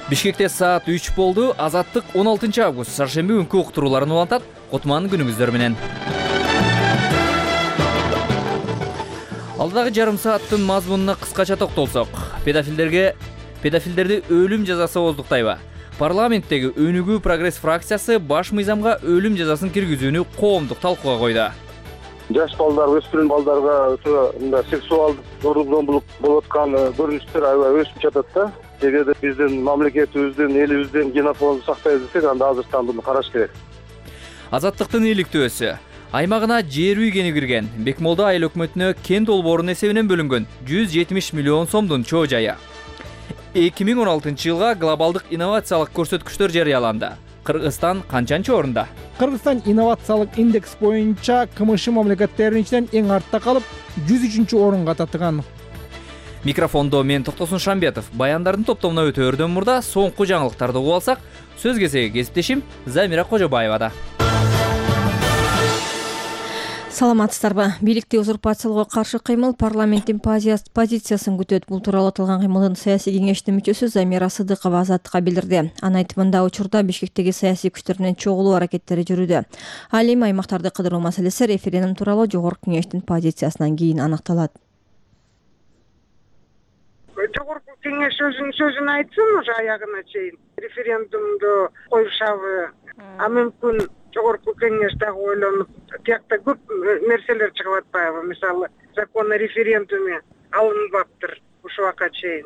Бишкекте саат 3 болду. Азаттык 16 август шаршемби күнкү уктурууларын улантат. Кутман күнүңүздөр менен. Алдагы жарым сааттын мазмунуна кыскача токтолсок, педофилдерди өлүм жазасы ооздуктайбы? Парламенттеги Өнүгүү прогресс фракциясы баш мыйзамга өлүм жазасын киргизүүнү коомдук талкууга койду. Жаш балдар, өспүрүм балдарга мындай сексуалдык зорлук-зомбулук болуп аткан көрүнүштөр аябай өсүп жатат да. Эгерде биздин мамлекетибиздин, элибиздин генофондун сактайбыз десек, анда азыртан буну караш керек. Азаттыктын иликтөөсү аймагына жер үй кени кирген. Бекмолда айыл өкмөтүнө кен долбоорунун эсебинен бөлүнгөн 170 миллион сомдун чоо жайы. 2016 жылга глобалдык инновациялык көрсөткүчтөр жарыяланды. Кыргызстан канчанчы орунда? Кыргызстан инновациялык индекс боюнча КМШ мамлекеттеринин ичинен эң артта калып, 103 орунга татыган. Микрофондо мен Токтосун Шамбетов. Баяндардын топтомуна өтөөрдөн мурда соңку жаңылыктарды угуп алсак, сөз кезеги кесиптешим Замира Кожобаевада. Саламатсыздарбы? Бийликти узурпациялоого каршы кыймыл парламенттин позициясын күтөт. Бул тууралуу аталган кыймылдын саясий кеңештин мүчөсү Замира Сыдыкова Азаттыкка билдирди. Анын айтымында учурда Бишкектеги саясий күчтөр менен чогулуу аракеттери жүрүүдө. Ал эми аймактарды кыдыруу маселеси референдум тууралуу жогорку кеңештин позициясынан кийин аныкталат. Жогорку кеңеш өзүнүн сөзүн айтсын, уже аягына чейин референдумду коюшабы, а мүмкүн жогорку кеңеш дагы ойлонуп, тиякта көп нерселер чыгып атпайбы? Мисалы, закон о референдуме алынбаптыр ушул убакка чейин.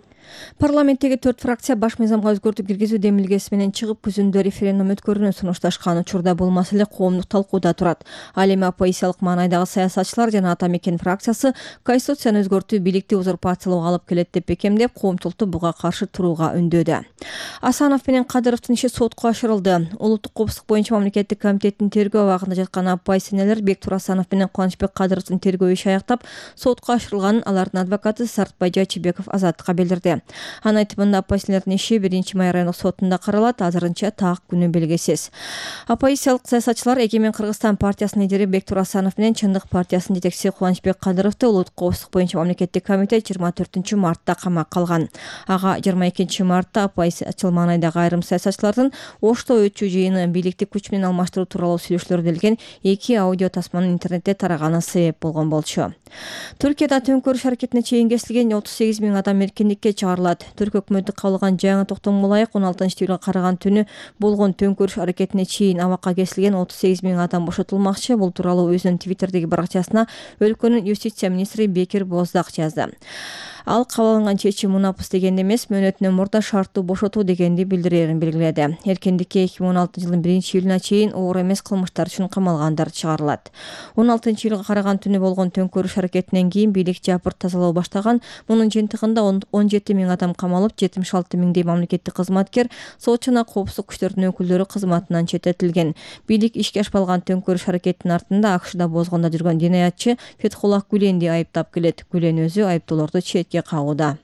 Парламенттеги 4 фракция баш мыйзамга өзгөртүү киргизүү демилгеси менен чыгып, күзүндө референдум өткөрүүнү сунушташкан. Учурда бул маселе коомдук талкууда турат. Ал эми оппозициялык маанайдагы саясатчылар жана Ата Мекен фракциясы Конституцияны өзгөртүү бийликти узурпациялоого алып келет деп бекемдеп, коомчулукту буга каршы турууга үндөдү. Асанов менен Кадыровдун иши сотко ашырылды. Улуттук коопсуздук боюнча мамлекеттик комитеттин тергөө абагында жаткан оппозиционерлер Бектур Асанов менен Кубанычбек Кадыровдун тергөө иши аяктап, сотко ашырылганын алардын адвокаты Сартбай Жачыбеков Азаттыкка билдирди. Анын айтымында оппозиционерлердин иши 1-май райондук сотунда каралат, азырынча так күнү белгисиз. Оппозициялык саясатчылар Эгемен Кыргызстан партиясынын лидери Бектур Асанов менен Чындык партиясынын жетекчиси Кубанычбек Кадыровду улуттук коопсуздук боюнча мамлекеттик комитет 24 мартта камакка алган. Ага 22 мартта оппозициячыл маанайдагы айрым саясатчылардын Ошто өтчү жыйыны бийликти күч менен алмаштыруу тууралуу сүйлөшүүлөр делген 2 аудио тасманын интернетте тараганы себеп болгон болчу. Түркияда төңкөрүш аракетине чейин кесилген 38 000 адам эркиндикке чыгарылат. Түрк өкмөтү кабыл алган жаңы токтомго ылайык 16 июлга караган түнү болгон төңкөрүш аракетине чейин абакка кесилген 38 000 адам бошотулмакчы. Бул тууралуу өзүнүн Твиттердеги баракчасына өлкөнүн юстиция министри Бекир Боздак жазды. Ал кабыл алынган чечим мунапыс дегенди эмес, мөөнөтүнөн мурда шарттуу бошотуу дегенди билдирерин белгиледи. Эркиндикке 2016 жылдын 1-июлуна чейин оор эмес кылмыштар үчүн камалгандар чыгарылат. 16 июлга караган түнү болгон төңкөрүш аракетинен кийин бийлик жапырт тазалоо баштаган. Мунун жыйынтыгында 17 000 адам камалып, 76 000 мамлекеттик кызматкер, сот жана коопсуздук күчтөрдүн өкүлдөрү кызматынан четтетилген. Бийлик ишке ашпалган төңкөрүш аракетинин артында АКШда бозгондо жүргөн динаятчы Фетхуллах Гүленди айыптап келет. Гүлен өзү айыптоолорду четке кагууда.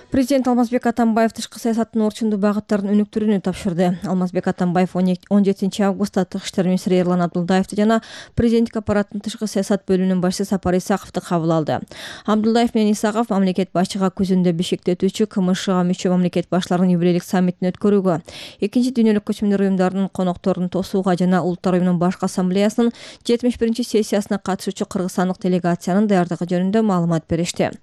Президент Алмазбек Атамбаев тышкы саясаттын орчундуу багыттарын өнүктүрүүнү тапшырды. Алмазбек Атамбаев 17 августта тышкы иштер министри Эрлан Абдулдаевди жана президенттик аппараттын тышкы саясат бөлүмүнүн башчысы Сапар Исаковду кабыл алды. Абдулдаев менен Исаков мамлекет башчыга күзүндө Бишкекте өтүүчү КМШга мүчө мамлекет баштарынын юбилейлик саммитин өткөрүүгө, Экинчи дүйнөлүк көчмөндөр уюмдарынын конокторун тосууга жана Улуттар уюмунун башкы ассамблеясынын 71-сессиясына катышуучу кыргызстандык делегациянын даярдыгы жөнүндө маалымат беришти.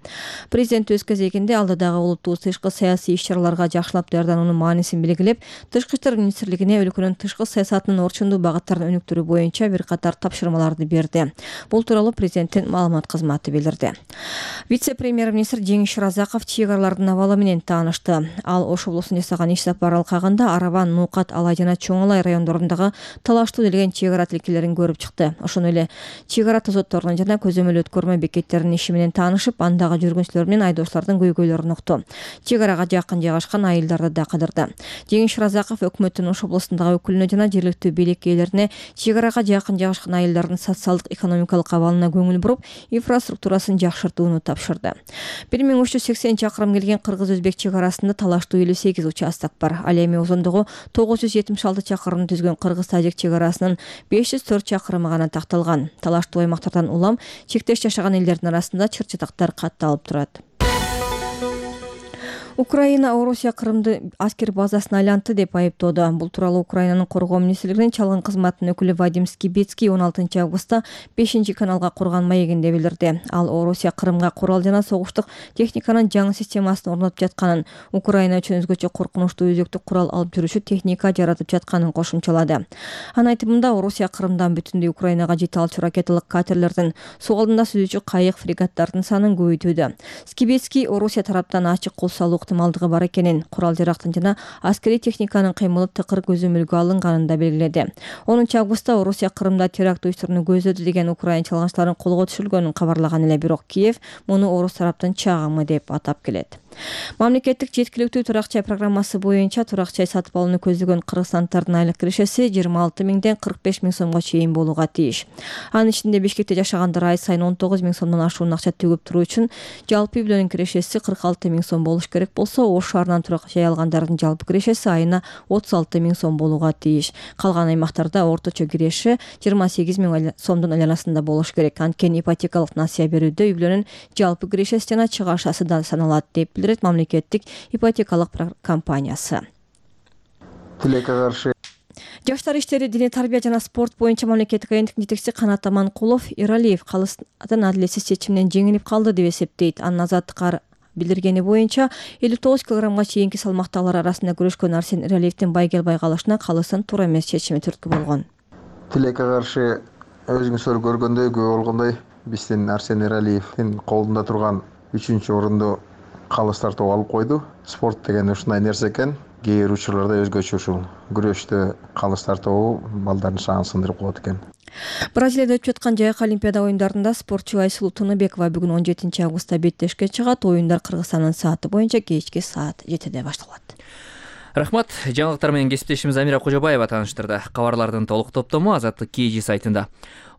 Президент өз кезегинде алдыдагы тышкы саясий иш-чараларга жакшылап даярдануунун маанисин белгилеп, тышкы иштер министрлигине өлкөнүн тышкы саясатынын орчундуу багыттарын өнүктүрүү боюнча бир катар тапшырмаларды берди. Бул тууралуу президенттин маалымат кызматы билдирди. Вице-премьер-министр Жеңиш Шыразаков чек аралардын абалы менен таанышты. Ал Ош облусуна жасаган иш сапары алкагында Араван, Нукат, Алай жана Чоң Алай райондорундагы талаштуу делген чек ара тилкелерин көрүп чыкты. Ошондой эле чек ара тозотторунун жана көзөмөл өткөрмө бекеттеринин иши менен таанышып, андагы жүргүнчүлөр менен айдоочулардын көйгөйлөрүн укту. Чек арага жакын жайгашкан айылдарды да кыдырды. Жеңиш Шыразаков өкмөттүн Ош облусундагы өкүлүнө жана жергиликтүү бийлик ээлерине чек арага жакын жайгашкан айылдардын социалдык экономикалык абалына көңүл буруп, инфраструктурасын жакшыртууну тапшырды. 1380 чакырым келген кыргыз-өзбек чек арасында талаштуу 58 участок бар. Ал эми узундугу 976 чакырымды түзгөн кыргыз-тажик чек арасынын 504 чакырымы гана такталган. Талаштуу аймактардан улам чектеш жашаган элдердин арасында чыр-чатактар катталып турат. Украина Орусия Крымды аскер базасына айлантты деп айыптоодо. Бул тууралуу Украинанын коргоо министрлигинин чалгын кызматынын өкүлү Вадим Скибецкий 16 августта 5-каналга курган маегинде билдирди. Ал Орусия Крымга курал жана согуштук техниканын жаңы системасын орнотуп жатканын, Украина үчүн өзгөчө коркунучтуу өзөктүк курал алып жүрүүчү техника жаратып жатканын кошумчалады. Анын айтымында Орусия Крымдан бүтүндөй Украинага жете алчу ракеталык катерлердин, суу алдында сүзүүчү кайык, фрегаттардын санын көбөйтүүдө. Скибецкий Орусия тараптан ачык кол салуу ыктымалдыгы бар экенин, курал жарактын жана аскерий техниканын кыймылы тыкыр көзөмөлгө алынганын да белгиледи. 10 августта Орусия Крымда теракт уюштурууну көздөдү деген Украина чалгынчыларын колго түшүрүлгөнүн кабарлаган эле, бирок Киев муну орус тараптын чагымы деп атап келет. Мамлекеттик жеткиликтүү турак жай программасы боюнча турак жай сатып алууну көздөгөн кыргызстандардын айлык кирешеси 26 миңден 45 миң сомго чейин болууга тийиш. Анын ичинде Бишкекте жашагандар ай сайын 19 миң сомдон ашуун акча төгүп туруу үчүн жалпы үй бүлөнүн кирешеси 46 миң сом болуш керек болсо, Ош шаарынан турак жай алгандардын жалпы кирешеси айына 36 миң сом болууга тийиш. Калган аймактарда орточо киреши 28 миң сомдун айланасында болуш керек. Анткени ипотекалык насыя берүүдө үй бүлөнүн жалпы кирешеси жана чыгашасы да саналат деп билдирет мамлекеттик ипотекалык компаниясы. Тилекке каршы Жаштар иштери, диний тарбия жана спорт боюнча мамлекеттик агенттиктин жетекчиси Канат Аманкулов Эралиев калыстын адилетсиз чечиминен жеңилип калды деп эсептейт. Анын Азаттыкка билдиргени боюнча 59 килограммга чейинки салмактагылар арасында күрөшкөн Арсен Эралиевдин байгел калышына калыстын туура эмес чечими түрткү болгон. Тилекке каршы өзүңүздөр көргөндөй, күбө болгондой, биздин Арсен Эралиевдин колунда турган 3-орунду калыс тартып алып койду. Спорт деген ушундай нерсе экен. Кээ бир учурларда өзгөчө ушул күрөштө калыс тартуу балдардын шааңын сындырып коет экен. Бразилияда өтүп жаткан жайык олимпиада оюндарында спортчу Айсулуу Тунубекова бүгүн 17 августта беттешке чыгат. Оюндар Кыргызстандын сааты боюнча кечки саат 7-де башталат. Рахмат. Жаңылыктар менен кесиптешimiz Амира Кожобаева тааныштырды. Кабарлардын толук топтому Азаттык KG сайтында.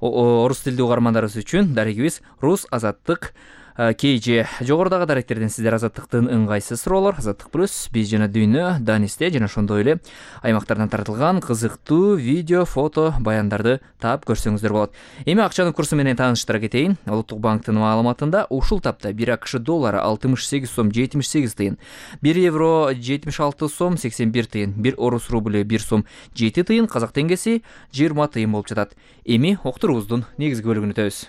Орус тилдүү угармандарыбыз үчүн дарегибиз Рус Азаттык KG. Жогорудагы даректерден сиздер Азаттыктын ыңгайсыз суроолор, Азаттык плюс, биз жана дүйнө, Данисте жана ошондой эле аймактардан тартылган кызыктуу видео, фото, баяндарды таап көрсөңүздөр болот. Эми акчанын курсу менен тааныштыра кетейин. Улуттук банктын маалыматында ушул тапта 1 АКШ доллары 68 сом 78 тыйын, 1 евро 76 сом 81 тыйын, 1 орус рубль 1 сом 7 тыйын, казак теңгеси 20 тыйын болуп жатат. Эми октурубуздун негизги бөлүгүнө өтөбүз.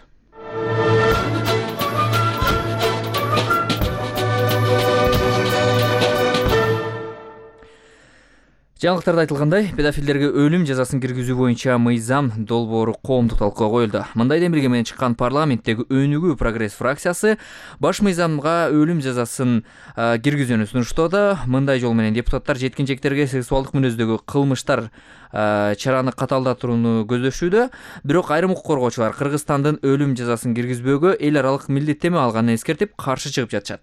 Жаңылыктарда айтылгандай, педофилдерге өлүм жазасын киргизүү боюнча мыйзам долбоору коомдук талкууга коюлду. Мындай демилге менен чыккан парламенттеги Өнүгүү прогресс фракциясы баш мыйзамга өлүм жазасын киргизүүнү сунуштоодо. Мындай жол менен депутаттар жеткинжектерге сексуалдык мүнөздөгү кылмыштар чараны катаалдатууну көздөшүүдө. Бирок айрым укук коргоочулар Кыргызстандын өлүм жазасын киргизбөөгө эл аралык милдеттеме алганын эскертип, каршы чыгып жатышат.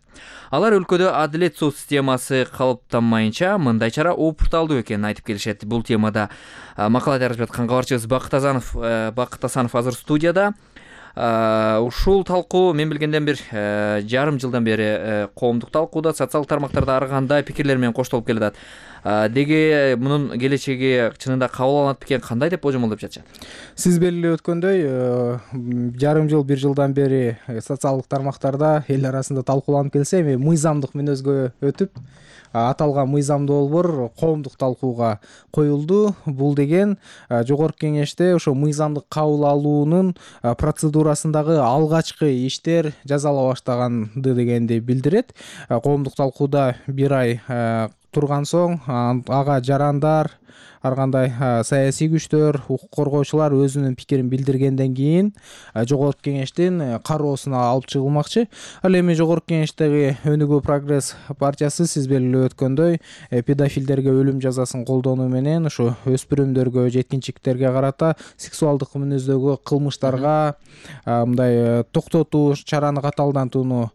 Алар өлкөдө адилет сот системасы калыптанмайынча мындай чара опурталдуу экенин айтып келишет. Бул темада макала жазып жаткан кабарчыбыз Бакыт Асанов азыр студияда. Ушул талкуу мен билгенден бир жарым жылдан бери коомдук талкууда, социалдык тармактарда ар кандай пикирлер менен коштолуп келатат. Деги мунун келечеги чынында кабыл алынат бекен, кандай деп божомолдоп жатышат? Сиз белгилеп өткөндөй, жарым жыл, 1 жылдан бери социалдык тармактарда эл арасында талкууланып келсе, эми мыйзамдык мүнөзгө өтүп, аталган мыйзам долбоор коомдук талкууга коюлду. Бул деген жогорку кеңеште ошо мыйзамдык кабыл алуунун процедурасындагы алгачкы иштер жасала баштаганды дегенди билдирет. Коомдук талкууда 1 ай турган соң ага жарандар, ар кандай саясий күчтөр, укук коргоочулар өзүнүн пикирин билдиргенден кийин жогорку кеңештин кароосуна алып чыгылмакчы. Ал эми жогорку кеңештеги Өнүгүү прогресс партиясы сиз белгилеп өткөндөй педофилдерге өлүм жазасын колдонуу менен ушу өспүрүмдөргө, жеткинчектерге карата сексуалдык мүнөздөгү кылмыштарга мындай токтотуу чараны катаалдатууну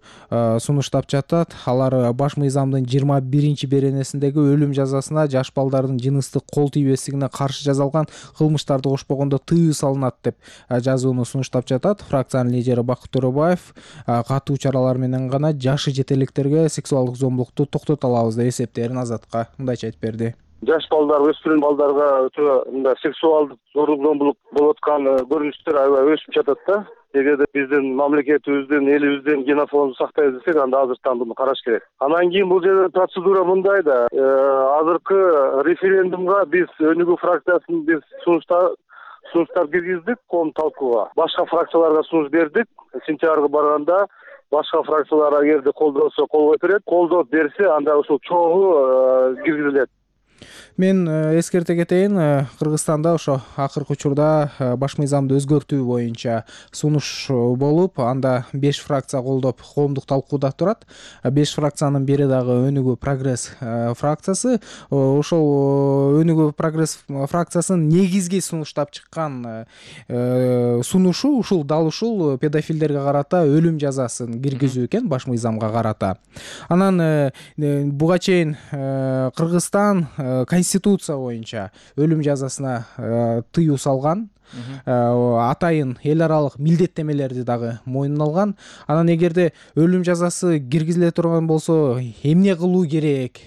сунуштап жатат. Алар баш мыйзамдын 21-беренесиндеги өлүм жазасына жаш балдардын жыныстык кол тийбестигине каршы жасалган кылмыштарды кошпогондо тыюу салынат деп жазууну сунуштап жатат. Фракциянын лидери Бакыт Төрөбаев катуу чаралар менен гана жашы жете электерге сексуалдык зомбулукту токтото алабыз деп эсептерин Азатка мындайча айтып берди. жаш балдар, өспүрүм балдарга мындай сексуалдык зордук зомбулук болуп аткан көрүнүштөр аябай өсүп жатат да. Эгерде биздин мамлекетибиздин, элибиздин генофондун сактайбыз десек, анда азыртан муну караш керек. Анан кийин бул жерде процедура мындай да. Азыркы референдумга биз Өнүгүү фракциясын биз сунуштар киргиздик коом талкууга. Башка фракцияларга сунуш бердик. Сентябрга барганда башка фракциялар эгерде колдонсо колдой берет, колдоп берсе анда ушул чогуу киргизилет. Мен эскерте кетейин, Кыргызстанда ошо акыркы учурда баш мыйзамды өзгөртүү боюнча сунуш болуп, анда 5 фракция колдоп коомдук талкууда турат. 5 фракциянын бири дагы Өнүгүү прогресс фракциясы. Ошол Өнүгүү прогресс фракциясынын негизги сунуштап чыккан сунушу ушул дал ушул педофилдерге карата өлүм жазасын киргизүү экен, баш мыйзамга карата. Анан буга чейин Кыргызстан конституция боюнча өлүм жазасына тыюу салган, атайын эл аралык милдеттемелерди дагы мойнуна алган. Анан эгерде өлүм жазасы киргизиле турган болсо, эмне кылуу керек,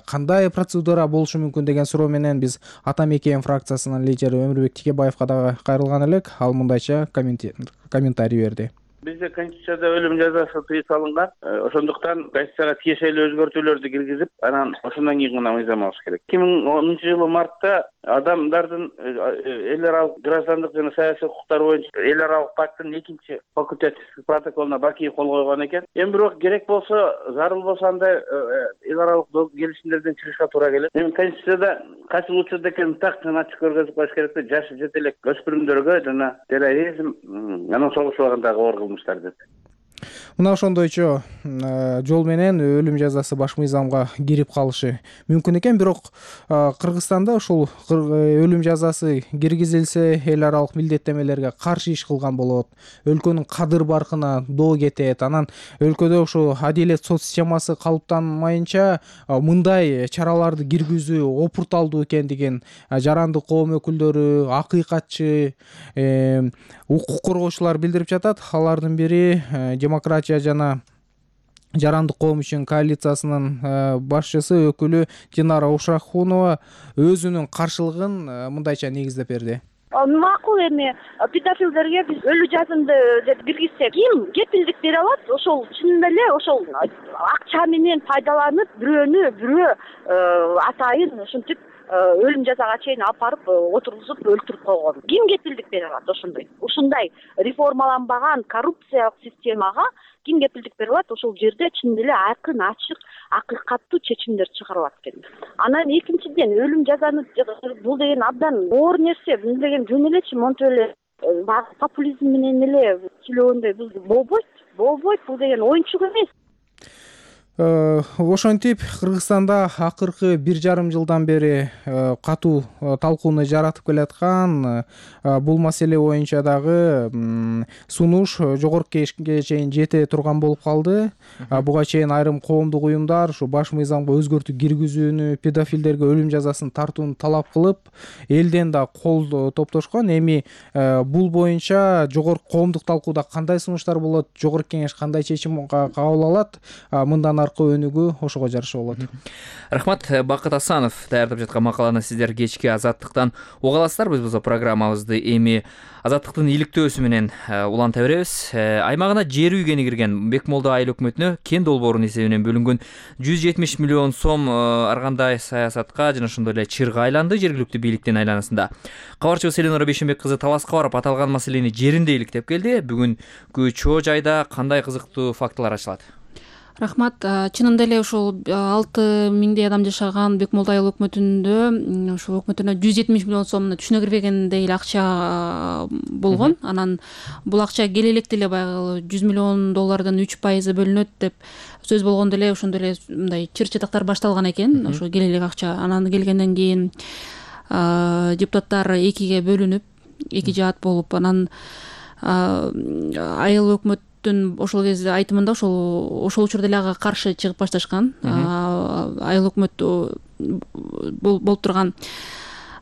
кандай процедура болушу мүмкүн деген суроо менен биз Ата Мекен фракциясынын лидери Өмүрбек Тикебаевга дагы кайрылган элек. Ал мындайча комментарий берди. Бизде Конституцияда өлүм жазасы тыюу салынган. Ошондуктан Конституцияга тиешелүү өзгөртүүлөрдү киргизип, анан ошондон кийин гана мыйзам алыш керек. 2010-жылы мартта адамдардын эл аралык граждандык жана саясий укуктары боюнча эл аралык пакттын 2-чи факультативдик протоколуна Баки кол койгон экен. Эми бирок керек болсо, зарыл болсо андай эл аралык келишимдерден чыгышка туура келет. Эми Конституцияда кайсы учурда экен так ачык көргөзүп коюш керек да, жашы жете элек өспүрүмдөргө жана терроризм, анан согушпагандагы оор кылмыштар деп. Мына ошондойчо жол менен өлүм жазасы баш мыйзамга кирип калышы мүмкүн экен, бирок Кыргызстанда ушул өлүм жазасы киргизилсе эл аралык милдеттемелерге каршы иш кылган болот, өлкөнүн кадыр баркына доо кетет. Анан өлкөдө ушул адилет сот системасы калыптанмайынча мындай чараларды киргизүү опурталдуу экендигин жарандык коом өкүлдөрү, акыйкатчы, укук коргоочулар билдирип жатат. Алардын бири демократия жана жарандык коом үчүн коалициясынын башчысы өкүлү Динара Ушакунова өзүнүн каршылыгын мындайча негиздеп берди. Макул эми педофилдерге биз өлүм жазасынды деп киргизсек, ким кепилдик бере алат? Ошол чынында эле ошол акча менен пайдаланып бирөө атайын ушинтип өлүм жазага чейин алып барып отургузуп өлтүрүп койгон. Ким кепилдик бере алат ошондой? Ушундай реформаланбаган коррупциялык системага ким кепилдик бере алат? Ошол жерде чын эле айкын, ачык, акыйкаттуу чечимдер чыгарылат экен. Анан экинчиден өлүм жазаны бул деген абдан оор нерсе, бул деген жөн элечи монтип эле популизм менен эле сүйлөгөндөй болбойт. Бул деген оюнчук эмес. Ошентип Кыргызстанда акыркы 1,5 жылдан бери катуу талкууну жаратып келаткан бул маселе боюнча дагы сунуш жогорку кеңешке чейин жете турган болуп калды. Буга чейин айрым коомдук уюмдар ушу баш мыйзамга өзгөртүү киргизүүнү, педофилдерге өлүм жазасын тартууну талап кылып, элден да кол топтошкон. Эми бул боюнча жогорку коомдук талкууда кандай сунуштар болот, жогорку кеңеш кандай чечим кабыл алат, мындан аркы өнүгүү ошого жараша болот. Рахмат. Бакыт Асанов даярдап жаткан макаланы сиздер кечки Азаттыктан уга аласыздар. Биз бул программабызды эми Азаттыктын иликтөөсү менен уланта беребиз. Аймагына жер үйгени кирген Бекмолдо айыл өкмөтүнө кен долбоорунун эсебинен бөлүнгөн 170 миллион сом ар кандай саясатка жана ошондой эле чырга айланды жергиликтүү бийликтин айланасында. Кабарчыбыз Эленора Бейшенбек кызы Таласка барып аталган маселени жеринде иликтеп келди. Бүгүнкү чоо жайда кандай кызыктуу фактылар ачылат? Рахмат. Чынында эле ушул 6 миңдей адам жашаган Бекмолдо айыл өкмөтүндө ушул өкмөтүнө 170 миллион сомдун түшүнө кирбегендей эле акча болгон. Анан бул акча келе электе эле баягы 100 миллион доллардын 3% бөлүнөт деп сөз болгондо эле ошондой эле мындай чыр-чатактар башталган экен. Ошо келе элек акча. Анан келгенден кийин депутаттар экиге бөлүнүп, эки жаат болуп, анан айыл өкмөт ошол кезде айтымында ошол учурда эле ага каршы чыгып башташкан. Айыл өкмөт болуп турган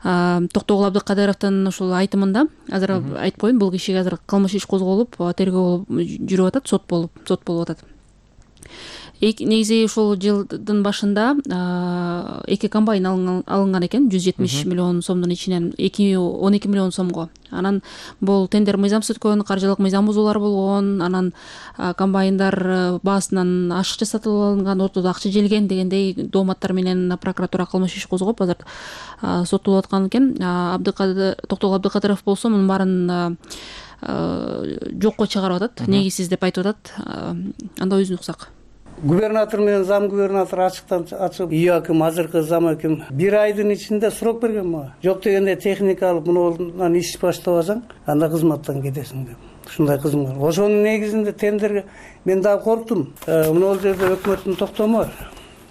Токтогул Абдыкадыровдун ушул айтымында, азыр айтып коеюн, бул кишиге азыр кылмыш иш козголуп, тергөө жүрүп атат, сот болуп атат. Негизи ушул жылдын башында 2 комбайн алынган экен, 170 миллион сомдун ичинен 12 миллион сомго. Анан бул тендер мыйзамсыз өткөн, каржылык мыйзам бузуулар болгон, анан комбайндар баасынан ашыкча сатып алынган, ортодо акча желген дегендей дооматтар менен прокуратура кылмыш иш козгоп азыр соттолуп аткан экен. Токтогул Абдыкадыров болсо мунун баарын жокко чыгарып атат, негизсиз деп айтып атат. Анда өзүн уксак. Губернатор менен зам губернатор ачып, ИАКим, азыркы зам аким 1 айдын ичинде срок берген мага. Жок дегенде техника алып, мундан иш баштабасаң, анда кызматтан кетесиң деп. Ушундай кызым бар. Ошонун негизинде тендерге мен дагы корктум. Мына жерде өкмөттүн токтому бар.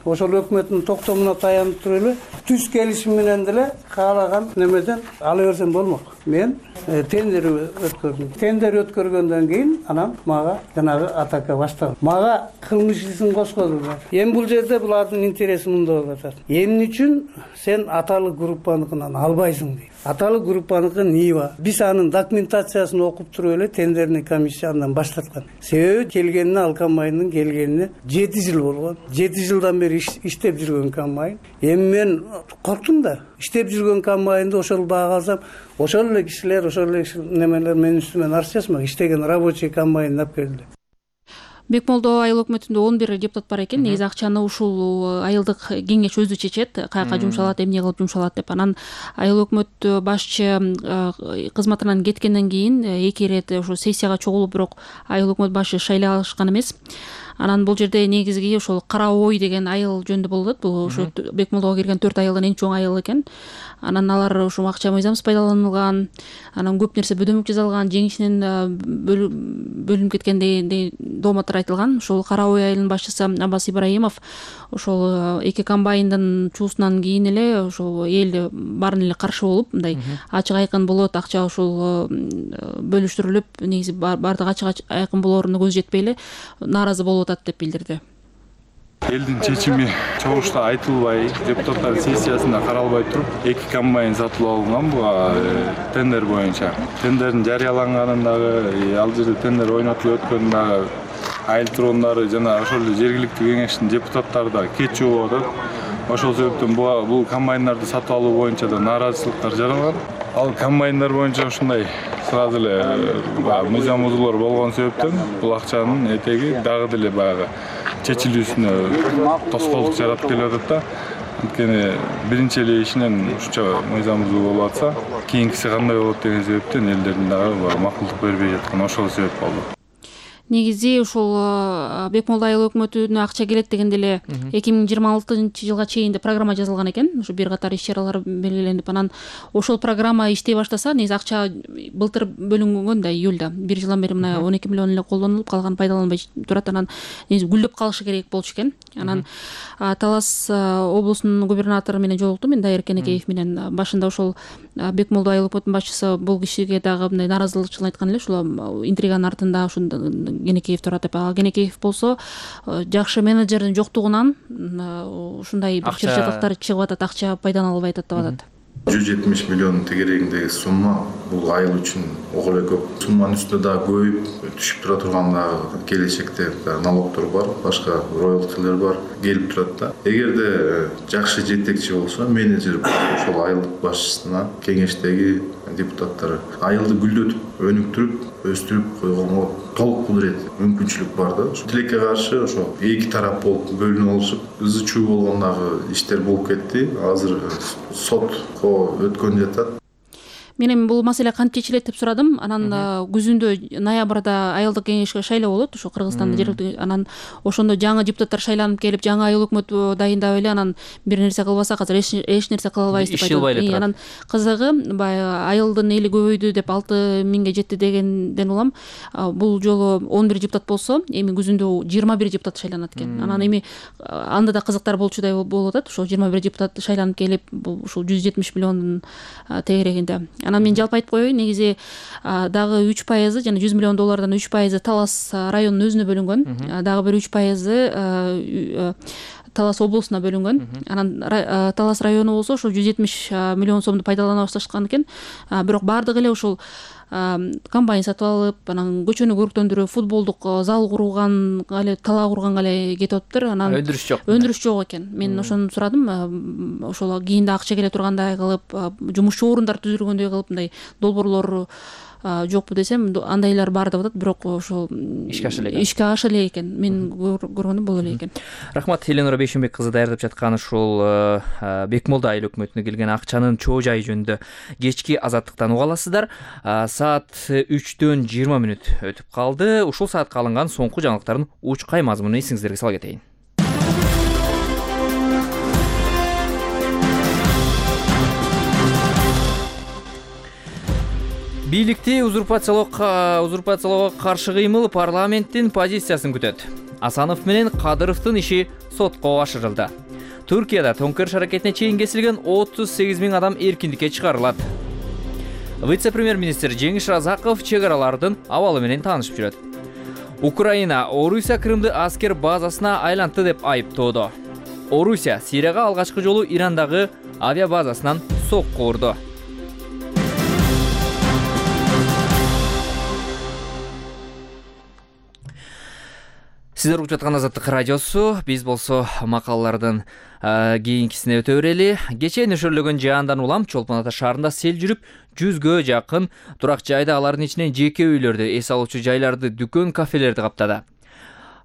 Ошол өкмөттүн токтомуна таянып туруп эле түз келишим менен деле каалаган немеден ала берсем болмок. Мен тендер өткөрдүм. Тендер өткөргөндөн кийин анан мага жанагы атака башталды. Мага кылмыш ишин кошкозду. Эми бул жерде булардын интереси мында болуп атат. Эмне үчүн сен аталык группаныкынан албайсың дейт. Аталык группаныкы НИИ. Биз анын документациясын окуп туруп эле тендерный комиссия андан баштаткан. Себеби келгенине ал комбайндын келгенине 7 жыл болгон. 7 жылдан бери иштеп жүргөн комбайн. Эми мен корктум да. Иштеп жүргөн комбайнды ошол баага алсам, ошол эле кишилер, ошол эле немелер менин үстүмөн арыз жазмак. Иштеген рабочий комбайнды алып келди. Бекмолдо айыл өкмөтүндө 11 депутат бар экен. Негизи акчаны ушул айылдык кеңеш өзү чечет, каяка жумшалат, эмне кылып жумшалат деп. Анан айыл өкмөт башчы кызматынан кеткенден кийин 2 ирет ошо сессияга чогулуп, бирок айыл өкмөт башчы шайлашкан эмес. Анан бул жерде негизги ошол Кара Ой деген айыл жөнүндө болот. Бул ошо Бекмолдого кирген 4 айылдын эң чоң айылы экен. Анан алар ушул акча мыйзамсыз пайдаланылган, анан көп нерсе бөдөмөк жасалган, жеңишинен бөлүнүп кеткендей дооматтар айтылган. Ошол Кара Ой айылынын башчысы Аббас Ибраимов ошол 2 комбайндын чуусунан кийин эле ошол эл баарын эле каршы болуп, мындай ачык айкын болот, акча ушул бөлүштүрүлүп, негизи баардык ачык айкын болоруна көз жетпей эле нааразы болуп атат деп билдирди. Элдин чечими чогулушта айтылбай, депутаттар сессиясында каралбай туруп, 2 комбайн сатып алынган бул тендер боюнча. Тендердин жарыяланганын дагы, ал жерде тендер ойнотулуп өткөн дагы айыл тургундары жана ошол жергиликтүү кеңештин депутаттары да кетчү болуп атат. Ошол себептен бул комбайндарды сатып алуу боюнча да нааразычылыктар жаралган. Ал комбайндар боюнча ушундай сразу эле мыйзам бузуулар болгон себептен бул акчанын этеги дагы деле баягы чечилүүсүнө тоскоолдук жаратып келип атат да. Анткени биринчи эле ишинен ушунча мыйзам бузуу болуп атса, кийинкиси кандай болот деген себептен элдердин дагы макулдук бербей жаткан ошол себеп болду. Негизи ушул Бекмолдо айыл өкмөтүнө акча келет дегенде эле 2026-жылга чейин деп программа жазылган экен. Ушу бир катар иш-чаралар белгиленип, анан ошол программа иштей баштаса, негизи акча былтыр бөлүнгөн да, июлда. 1 жылдан бери мына 12 миллион эле колдонулуп, калган пайдаланбай турат. Анан негизи гүлдөп калышы керек болчу экен. Анан Талас облусунун губернатору менен жолуктум мен, Дайыр Кенекеев менен. Башында ошол Бекмолдо айыл өкмөтүнүн башчысы бул кишиге дагы мындай нааразычылык айткан эле, ушул интриганын артында ушундай Кенекеев турат деп. Кенекеев болсо жакшы менеджердин жоктугунан ушундай бир чырчыктар чыгып атат, акча пайдалана атат деп атат. 170 миллион тегерегиндеги сумма бул айыл үчүн ого эле көп. Сумманын үстүнө дагы көбөйүп түшүп тура турган дагы келечекте налогдор бар, башка роялтилер бар, келип турат да. Эгерде жакшы жетекчи болсо, менеджер ошол айылдык башчысына, кеңештеги депутаттары айылды гүлдөтүп, өнүктүрүп, өстүрүп койгонго толук кудурет, мүмкүнчүлүк бар да. Тилекке каршы ошо 2 тарап болуп бөлүнүп алышып, ызы-чуу болгондагы иштер болуп кетти. Азыр сотко өткөн жатат. Мен эми бул маселе кантип чечилет деп сурадым. Анан күзүндө ноябрда айылдык кеңешке шайлоо болот, ошо Кыргызстанда жергиликтүү. Анан ошондо жаңы депутаттар шайланып келип, жаңы айыл өкмөт дайындап эле, анан бир нерсе кылбасак азыр эч нерсе кыла албайбыз деп айтат. Анан кызыгы баягы айылдын эли көбөйдү деп 6000ге жетти дегенден улам бул жолу 11 депутат болсо, эми күзүндө 21 депутат шайланат экен. Анан эми анда да кызыктар болчудай болуп атат. Ошо 21 депутат шайланып келип, ушул 170 миллиондун тегерегинде. Анан мен жалпы айтып коеюн, негизи дагы 3% жана 100 миллион доллардан 3% Талас районунун өзүнө бөлүнгөн. Дагы бир 3% Талас облусуна бөлүнгөн. Анан Талас району болсо ошо 170 миллион сомду пайдалана башташкан экен. Бирок бардыгы эле ушул комбайн сатып алып, анан көчөнү көрктөндүрүп, футболдук зал курган эле, талаа курганга эле кетип атыптыр. Анан өндүрүш жок экен. Мен ошону сурадым. Ошол кийинде акча келе тургандай кылып, жумушчу орундар түзүлгөндөй кылып, мындай долбоорлор жокпу десем, андайлар бар деп атат, бирок ошол ишке аша эле экен. Мен көргөнүм бул эле экен. Рахмат, Эленора Бейшенбек кызы даярдап жаткан ушул Бекмолдо айыл өкмөтүнө келген акчанын чоо жайы жөнүндө кечки Азаттыктан уга аласыздар. Саат 3-төн 20 мүнөт өтүп калды. Ушул саатка алынган соңку жаңылыктардын учкай мазмунун эсиңиздерге сала кетейин. Бийликти узурпациялоого каршы кыймыл парламенттин позициясын күтөт. Асанов менен Кадыровдун иши сотко ашырылды. Түркияда төңкөрүш аракетине чейин кесилген 38 000 адам эркиндикке чыгарылат. Вице-премьер-министр Жеңиш Разаков чек аралардын абалы менен таанышып жүрөт. Украина Орусия Крымды аскер базасына айлантты деп айыптоодо. Орусия Сирияга алгачкы жолу Ирандагы авиабазасынан сокку урду. Сиздер угуп жаткан Азаттык радиосу, биз болсо макалалардын кийинкисине өтө берели. Кечээ нөшөрлөгөн жаандан улам Чолпон Ата шаарында сел жүрүп, 100гө жакын турак жайды, алардын ичинен жеке үйлөрдү, эс алуучу жайларды, дүкөн, кафелерди каптады.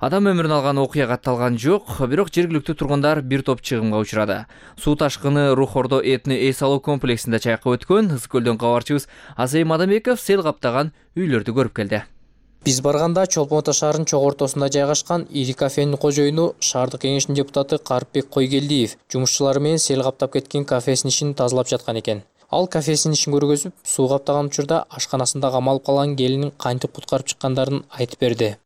Адам өмүрүн алган окуя катталган жок, бирок жергиликтүү тургундар бир топ чыгымга учурады. Суу ташкыны Рухордо этни эс алуу комплексинде чайкап өткөн. Ысык көлдөн кабарчыбыз Азей Мадамбеков сел каптаган үйлөрдү көрүп келди. Биз барганда Чолпон Ата шаарынын чогуу ортосунда жайгашкан ири кафенин кожоюну шаардык кеңештин депутаты Карыпбек Койгелдиев жумушчулары менен сел каптап кеткен кафесинин ишин тазалап жаткан экен. Ал кафесинин ишин көргөзүп, суу каптаган учурда ашканасында камалып калган келинин кантип куткарып чыккандарын айтып берди.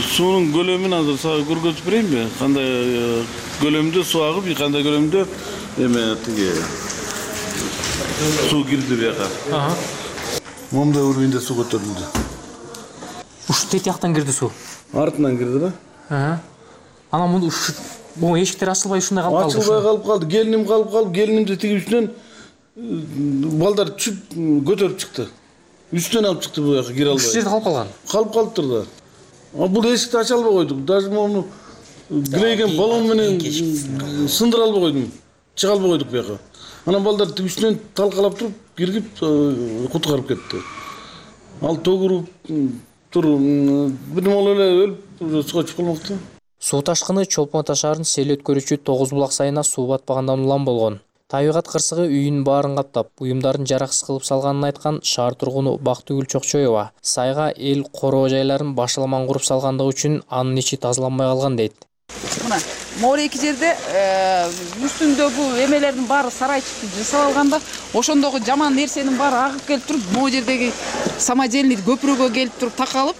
Суунун көлөмүн азыр сага көргөзүп берейинби? Кандай көлөмдө суу агып, кандай көлөмдө тиги суу кирди бияка. Момда уровеньде суу көтөрүлдү. Ушу тетияктан кирди суу. Артынан кирди да. Анан бул эшиктер ачылбай ушундай калып калды. Ачылбай калып калды. Келиним калып, келинимди тиги үстүнөн балдар түшүп көтөрүп чыкты. Үстүнөн алып чыкты бу жака кире албай. Ушул жерде калып калган. Калып калыптыр да. Бул эшикти ача албай койдук. Даже мону кирейген баллон менен сындыра албай койдум. Чыга албай койдук бияка. Анан балдар тиги үстүнөн талкалап туруп киргип куткарып кетти. Ал тогуруп бир моло эле өлүп сууга чыгып калмакты. Суу ташкыны Чолпон Ата шаарынын сел өткөрүүчү 9 булак сайына суу батпагандан улам болгон. Табигат кырсыгы үйүнүн баарын каптап, буюмдарын жараксыз кылып салганын айткан шаар тургуну Бактыгүл Чокчоева сайга эл короо жайларын башаламан куруп салгандыгы үчүн анын ичи тазаланбай калган дейт. Мына моореки жерде үстүндөгү эмелердин баары сарайчыкты жасап алганда, ошондогу жаман нерсенин баары агып келип туруп, могу жердеги самодельный көпүрөгө келип туруп такалып,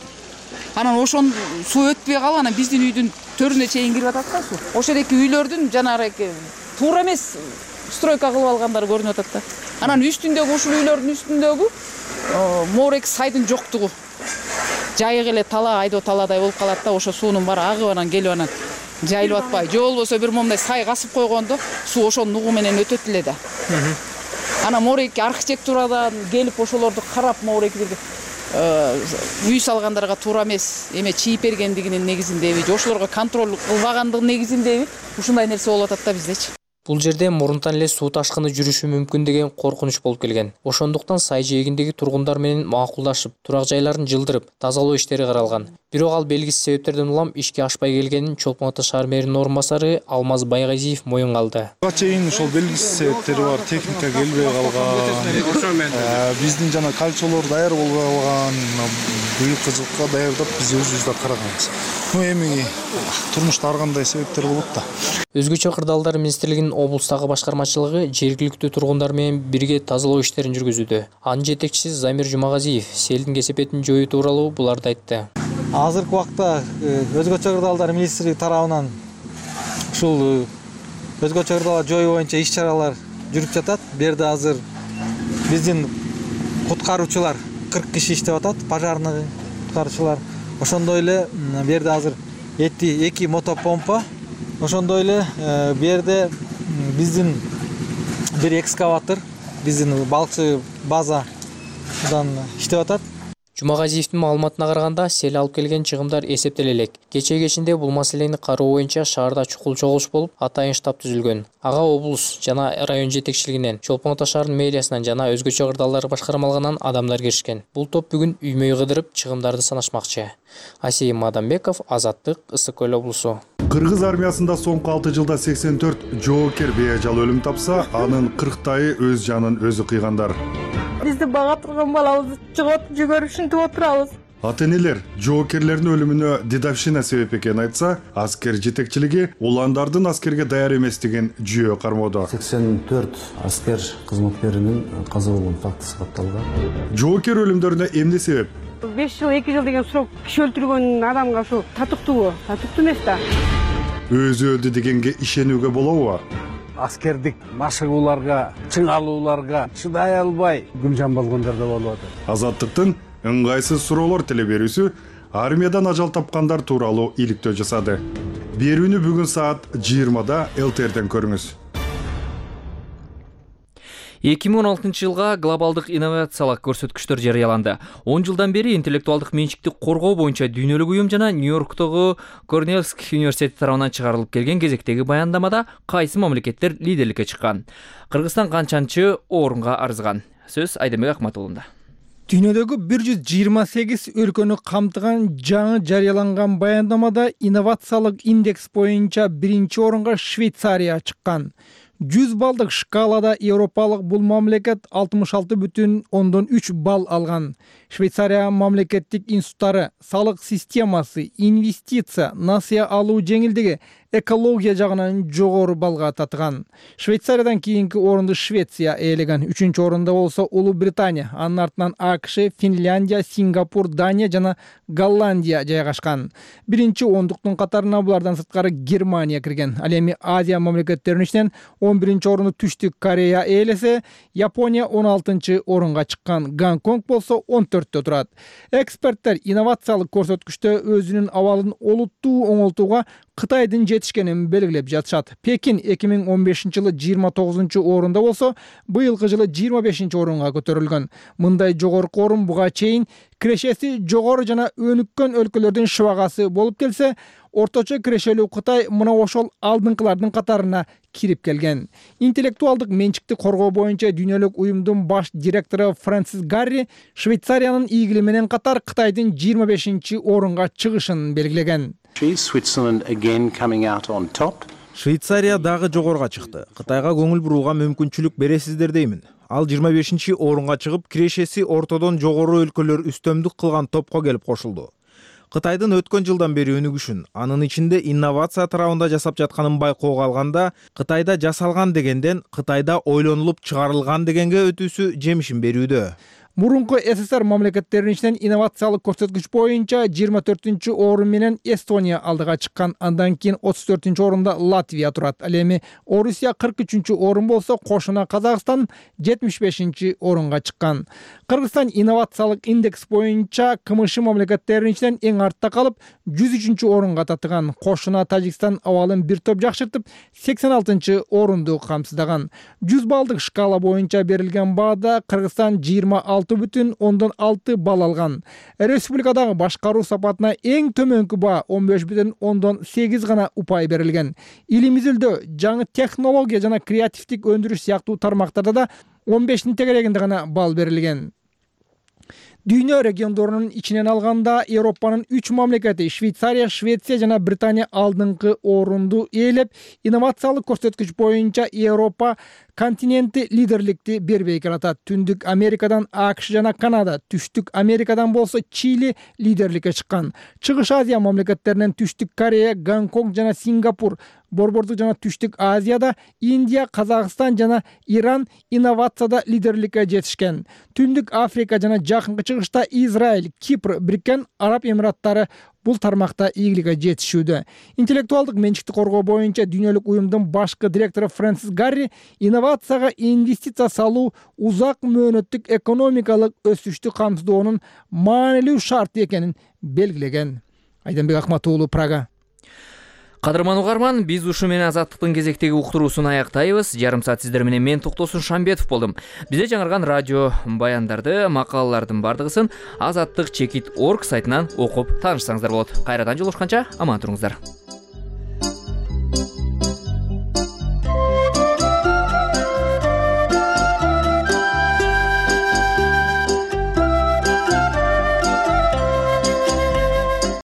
анан ошон суу өтпөй калып, анан биздин үйдүн төрүнө чейин кирип атат да суу. Ошол эки үйлөрдүн жанагы туура эмес стройка кылып алгандары көрүнүп атат да. Анан үстүндөгү ушул үйлөрдүн үстүндөгү моорек сайдын жоктугу. Жайык эле талаа, айдоо талаадай болуп калат да, ошо суунун баары агып анан келип анан жайылып атпай. Же болбосо бир момундай сай касып койгондо суу ошонун угу менен өтөт эле да. Анан моорек архитектурадан келип ошолорду карап мооректерди үй салгандарга туура эмес эме чийип бергендигинин негизиндеби, же ошолорго контроль кылбагандыгынын негизиндеби ушундай нерсе болуп атат да биздечи. Бул жерде мурунтан эле суу ташкыны жүрүшү мүмкүн деген коркунуч болуп келген. Ошондуктан сай жээгиндеги тургундар менен макулдашып, турак жайларын жылдырып, тазалоо иштери каралган. Бирок ал белгисиз себептерден улам ишке ашпай келгенин Чолпон Ата шаар мэринин орун басары Алмаз Байгазиев моюнга алды. Буга чейин ошол белгисиз себептери бар, техника келбей калган, биздин жана кальчолор даяр болбой калган, быйылкы жылкы даярдап биз өзүбүз да караганбыз. Эми турмушта ар кандай себептер болот да. Өзгөчө кырдаалдар министрлигинин облустагы башкармачылыгы жергиликтүү тургундар менен бирге тазалоо иштерин жүргүзүүдө. Анын жетекчиси Замир Жумагазиев селдин кесепетин жоюу тууралуу буларды айтты. Азыркы убакта өзгөчө кырдаалдар министрлиги тарабынан ушул өзгөчө кырдаалдар жоюу боюнча иш-чаралар жүрүп жатат. Бу жерде азыр биздин куткаруучулар 40 киши иштеп атат, пожарный куткаруучулар. Ошондой эле бу жерде азыр 2 мотопомпа. Ошондой эле бу жерде биздин бир экскаватор, биздин балыкчы база иштеп атат. Жумагазиевдин маалыматына караганда, сел алып келген чыгымдар эсептеле элек. Кечээ кечинде бул маселени кароо боюнча шаарда чукул чогулуш болуп, атайын штаб түзүлгөн. Ага облус жана район жетекчилигинен, Чолпон Ата шаарынын мэриясынан жана өзгөчө кырдаалдар башкармалыгынан адамдар киришкен. Бул топ бүгүн үймөй кыдырып чыгымдарды санашмакчы. Асейим Мадамбеков, Азаттык, Ысык Көл облусу. Кыргыз армиясында соңку 6 жылда 84 жоокер бейажал өлүм тапса, анын 40тайы өз жанын өзү кыйгандар. Бизди бага турган балабызды чыгып жүгөрүп ушинтип отурабыз. Ата-энелер жоокерлердин өлүмүнө дедовщина себеп экенин айтса, аскер жетекчилиги уландардын аскерге даяр эместигин жүйө кармоодо. 84 аскер кызматкеринин каза болгон фактысы катталган. Жоокер өлүмдөрүнө эмне себеп? 5 жыл 2 жыл деген срок киши өлтүргөн адамга ушу татыктуубу? Татыктуу эмес да. Өзү өлдү дегенге ишенүүгө болобу? Аскердик машыгууларга, чыңалууларга чыдай албай гүлжан болгондор да болуп атат. Азаттыктын ыңгайсыз суроолор теле берүүсү армиядан ажал тапкандар тууралуу иликтөө жасады. Берүүнү бүгүн саат 20-да ЛТРден көрүңүз. 2016 жылга глобалдык инновациялык көрсөткүчтөр жарыяланды. 10 жылдан бери интеллектуалдык менчикти коргоо боюнча дүйнөлүк уюм жана Нью-Йорктогу Корнеллский университети тарабынан чыгарылып келген кезектеги баяндамада кайсы мамлекеттер лидерликке чыккан? Кыргызстан канчанчы орунга арызган? Сөз Айдембек Акматулунда. Дүйнөдөгү 128 өлкөнү камтыган жаңы жарыяланган баяндамада инновациялык индекс боюнча биринчи орунга Швейцария чыккан. 100 балдык шкалада европалык бул мамлекет 66,3 балл алган. Швейцария мамлекеттик институттары, салык системасы, инвестиция, насыя алуу жеңилдиги, экология жагынан жогору балга татыган. Швейцариядан кийинки орунду Швеция ээлеген. 3-чү орунда болсо Улуу Британия, анын артынан АКШ, Финляндия, Сингапур, Дания жана Голландия жайгашкан. Биринчи ондуктун катарына булардан сырткары Германия кирген. Ал эми Азия мамлекеттеринин ичинен 11-чи орунду Түштүк Корея ээлесе, Япония 16-чы орунга чыккан. Гонконг болсо 14-тө турат. Эксперттер инновациялык көрсөткүчтө өзүнүн абалын олуттуу оңолтууга Кытайдын жетишкенин белгилеп жатышат. Пекин 2015-жылы 29-чу орунда болсо, быйылкы жылы 25-чи орунга көтөрүлгөн. Мындай жогорку орун буга чейин кирешеси жогору жана өнүккөн өлкөлөрдүн шыбагасы болуп келсе, орточо кирешелүү Кытай мына ошол алдыңкылардын катарына кирип келген. Интеллектуалдык менчикти коргоо боюнча дүйнөлүк уюмдун баш директору Фрэнсис Гарри Швейцариянын ийгили менен катар Кытайдын 25-чи орунга чыгышын белгилеген. Швейцария дагы жогоруга чыкты. Кытайга көңүл бурууга мүмкүнчүлүк бересиздер деймин. Ал 25-чи орунга чыгып, кирешеси ортодон жогору өлкөлөр үстөмдүк кылган топко келип кошулду. Кытайдын өткөн жылдан бери өнүгүшүн, анын ичинде инновация тарабында жасап жатканын байкоого алганда, Кытайда жасалган дегенден Кытайда ойлонулуп чыгарылган дегенге өтүүсү жемишин берүүдө. Мурунку СССР мамлекеттеринин ичинен инновациялык көрсөткүч боюнча 24-чү орун менен Эстония алдыга чыккан. Андан кийин 34-чү орунда Латвия турат. Ал эми Орусия 43-чү орун болсо, кошуна Казакстан 75-чи орунга чыккан. Кыргызстан инновациялык индекс боюнча КМШ мамлекеттеринин ичинен эң артта калып, 103-чү орунга татыган. Кошуна Тажикстан абалын бир топ жакшыртып, 86-чы орунду камсыздаган. 100 балдык шкала боюнча берилген баада Кыргызстан 26,6 балл алган. Республикадагы башкаруу сапатына эң төмөнкү баа 15,8 гана упай берилген. Илим изилдөө, жаңы технология жана креативдик өндүрүш сыяктуу тармактарда да 15-тин тегерегинде гана балл берилген. Дүйнө региондорунун ичинен алганда Европанын 3 мамлекети Швейцария, Швеция жана Британия алдыңкы орунду ээлеп, инновациялык көрсөткүч боюнча Европа континенти лидерликти бербей келатат. Түндүк Америкадан АКШ жана Канада, Түштүк Америкадан болсо Чили лидерликке чыккан. Чыгыш Азия мамлекеттеринен Түштүк Корея, Гонконг жана Сингапур, Борбордук жана Түштүк Азияда Индия, Казакстан жана Иран инновацияда лидерликке жетишкен. Түндүк Африка жана Жакынкы Чыгышта Израиль, Кипр, Бириккен Араб Эмираттары бул тармакта ийгиликке жетишүүдө. Интеллектуалдык менчикти коргоо боюнча дүйнөлүк уюмдун башкы директору Фрэнсис Гарри инновацияга инвестиция салуу узак мөөнөттүк экономикалык өсүштү камсыздоонун маанилүү шарты экенин белгилеген. Айдембек Акматуулу, Прага. Кадырман угарман, биз ушу менен Азаттыктын кезектеги уктуруусун аяктайбыз. Жарым саат сиздер менен мен Токтосун Шамбетов болдум. Бизде жаңырган радио баяндарды, макалалардын бардыгысын azattik.org сайтынан окуп таанышсаңыздар болот. Кайрадан жолугушканча аман туруңуздар.